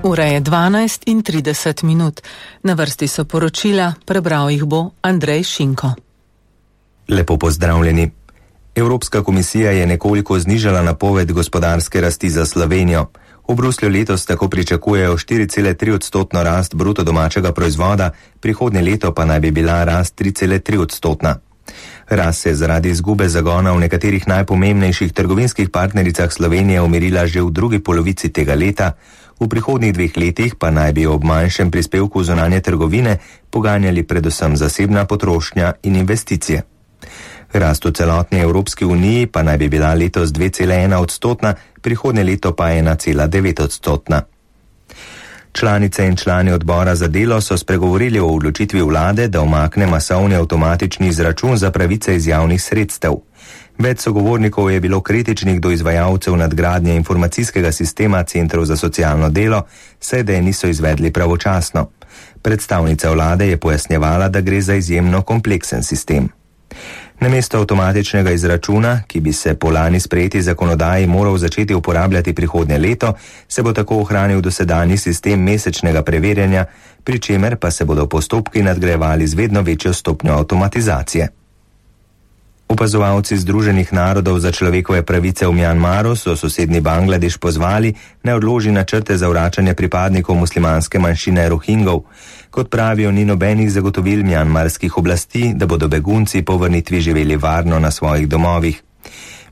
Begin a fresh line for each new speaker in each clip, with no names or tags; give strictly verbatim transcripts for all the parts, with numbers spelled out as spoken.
Ura je dvanajst in trideset minut. Na vrsti so poročila, prebral jih bo Andrej Šinko.
Lepo pozdravljeni. Evropska komisija je nekoliko znižala napoved gospodarske rasti za Slovenijo. V Bruslju letos tako pričakujejo štiri cele tri odstotno rast bruto domačega proizvoda, prihodnje leto pa naj bi bila rast tri cele tri odstotna. Rast se je zaradi izgube zagona v nekaterih najpomembnejših trgovinskih partnericah Slovenije umirila že v drugi polovici tega leta, v prihodnjih dveh letih pa naj bi ob manjšem prispevku zunanje trgovine poganjali predvsem zasebna potrošnja in investicije. Rast v celotni Evropski uniji pa naj bi bila letos dve cele ena odstotna, prihodnje leto pa ena cela devet odstotna. Članice in člani odbora za delo so spregovorili o odločitvi vlade, da umakne masovni avtomatični izračun za pravice iz javnih sredstev. Več sogovornikov je bilo kritičnih do izvajalcev nadgradnje informacijskega sistema centrov za socialno delo, saj da je niso izvedli pravočasno. Predstavnica vlade je pojasnjevala, da gre za izjemno kompleksen sistem. Namesto avtomatičnega izračuna, ki bi se po lani sprejeti zakonodaji moral začeti uporabljati prihodnje leto, se bo tako ohranil dosedanji sistem mesečnega preverjanja, pri čemer pa se bodo postopki nadgrajevali z vedno večjo stopnjo avtomatizacije. Opazovalci Združenih narodov za človekove pravice v Mjanmaru so sosednji Bangladeš pozvali, naj odloži načrte za vračanje pripadnikov muslimanske manjšine Rohingov. Kot pravijo, ni nobenih zagotovil mjanmarskih oblasti, da bodo begunci po vrnitvi živeli varno na svojih domovih.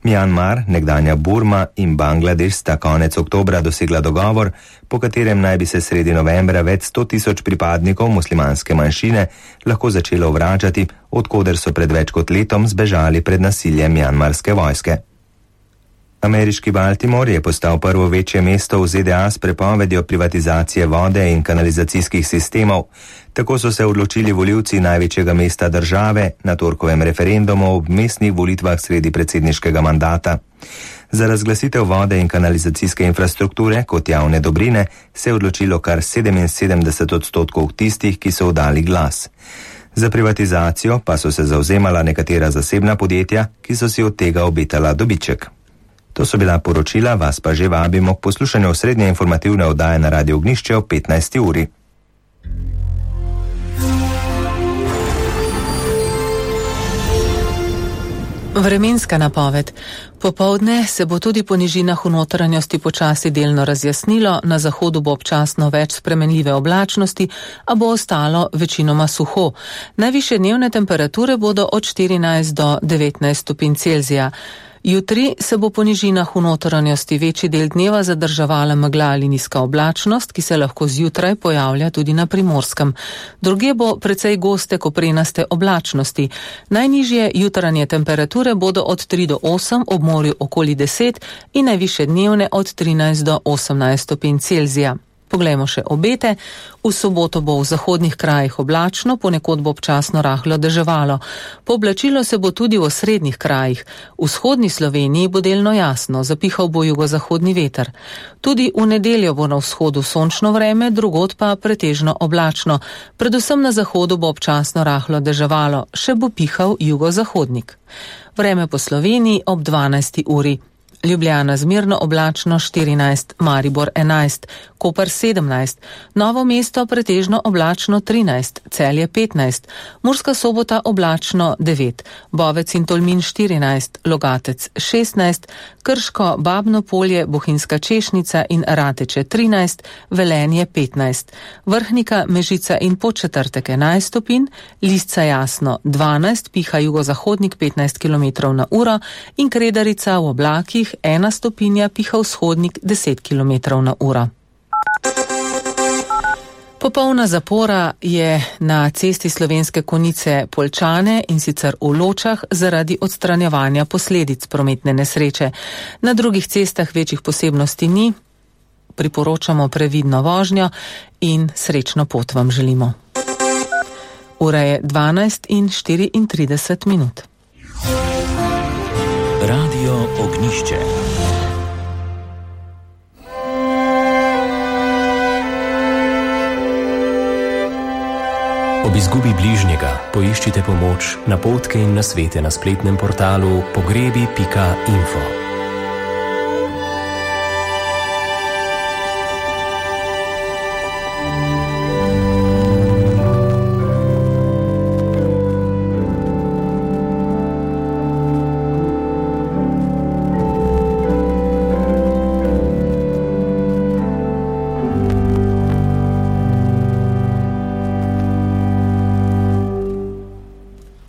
Mjanmar, nekdanja Burma in Bangladeš sta konec oktobra dosegla dogovor, po katerem naj bi se sredi novembra več sto tisoč pripadnikov muslimanske manjšine lahko začelo vračati, odkoder so pred več kot letom zbežali pred nasiljem mjanmarske vojske. Ameriški Baltimore je postal prvo večje mesto v Z D A s prepovedjo privatizacije vode in kanalizacijskih sistemov. Tako so se odločili volivci največjega mesta države na torkovem referendumu ob mestnih volitvah sredi predsedniškega mandata. Za razglasitev vode in kanalizacijske infrastrukture kot javne dobrine se je odločilo kar sedeminsedemdeset odstotkov tistih, ki so oddali glas. Za privatizacijo pa so se zavzemala nekatera zasebna podjetja, ki so si od tega obetala dobiček. To so bila poročila, vas pa že vabimo k poslušanju srednje informativne oddaje na Radio Ognjišče ob petnajsti uri.
Vremenska napoved. Popoldne se bo tudi po nižinah v notranjosti počasi delno razjasnilo, na zahodu bo občasno več spremenljive oblačnosti, a bo ostalo večinoma suho. Najvišje dnevne temperature bodo od štirinajst do devetnajst stopinj Celzija. Jutri se bo po nižinah v notranjosti večji del dneva zadrževala megla ali nizka oblačnost, ki se lahko zjutraj pojavlja tudi na Primorskem. Drugje bo precej goste koprenaste oblačnosti. Najnižje jutranje temperature bodo od tri do osem, ob morju okoli deset in najvišje dnevne od trinajst do osemnajst stopinj Celzija. Poglejmo še obete. V soboto bo v zahodnih krajih oblačno, ponekod bo občasno rahlo deževalo. Pooblačilo se bo tudi v osrednjih krajih. V vzhodni Sloveniji bo delno jasno, zapihal bo jugozahodni veter. Tudi v nedeljo bo na vzhodu sončno vreme, drugod pa pretežno oblačno. Predvsem na zahodu bo občasno rahlo deževalo, še bo pihal jugozahodnik. Vreme po Sloveniji ob dvanajsti uri. Ljubljana zmerno oblačno štirinajst, Maribor enajst, Koper sedemnajst, Novo mesto pretežno oblačno trinajst, Celje petnajst, Murska Sobota oblačno devet, Bovec in Tolmin štirinajst, Logatec šestnajst, Krško, Babno Polje, Bohinjska Češnica in Rateče trinajst, Velenje petnajst, Vrhnika, Mežica in Podčetrtek enajst stopinj, Lisca Jasno dvanajst, piha jugozahodnik petnajst kilometrov na uro in Kredarica v oblakih ena stopinja, piha vzhodnik deset kilometrov na uro. Popolna zapora je na cesti Slovenske Konjice Poljčane in sicer v Ločah zaradi odstranjevanja posledic prometne nesreče. Na drugih cestah večjih posebnosti ni. Priporočamo previdno vožnjo in srečno pot vam želimo. Ura je dvanajst in štiriintrideset minut.
Radio Ognjišče. Ob izgubi bližnjega poiščite pomoč, napotke in nasvete na spletnem portalu pogrebi pika info.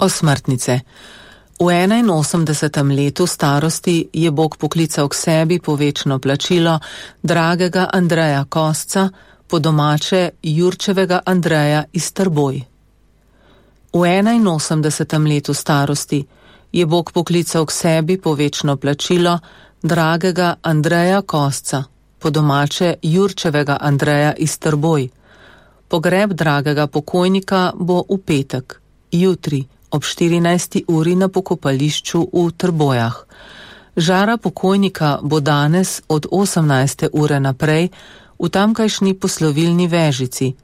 Osmrtnice. V enainosemdesetem letu starosti je Bog poklical k sebi po večno plačilo dragega Andreja Kosca, po domače Jurčevega Andreja iz Trboj. V enainosemdesetem letu starosti je Bog poklical k sebi po večno plačilo dragega Andreja Kosca, po domače Jurčevega Andreja iz Trboj. Pogreb dragega pokojnika bo v petek, jutri, ob štirinajsti uri na pokopališču v Trbojah. Žara pokojnika bo danes od osemnajste ure naprej v tamkajšnji poslovilni vežici.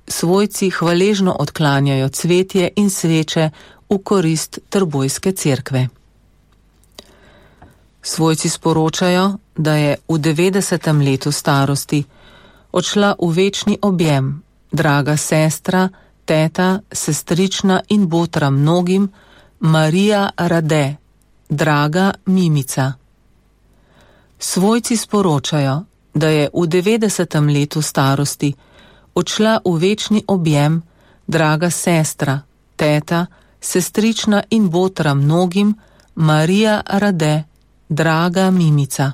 Svojci hvaležno odklanjajo cvetje in sveče v korist Trbojske cerkve. Svojci sporočajo, da je v devetdesetem letu starosti odšla v večni objem draga sestra, teta, sestrična in botra mnogim, Marija Rade, draga Mimica. Svojci sporočajo, da je v devetdesetem letu starosti odšla v večni objem draga sestra, teta, sestrična in botra mnogim, Marija Rade, draga Mimica.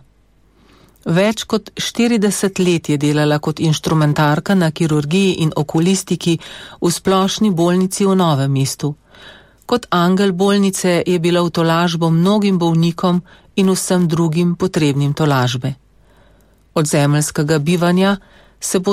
Več kot štirideset let je delala kot inštrumentarka na kirurgiji in okulistiki v splošni bolnici v Novem mestu. Kot angel bolnice je bila v tolažbo mnogim bolnikom in vsem drugim potrebnim tolažbe. Od zemeljskega bivanja se bo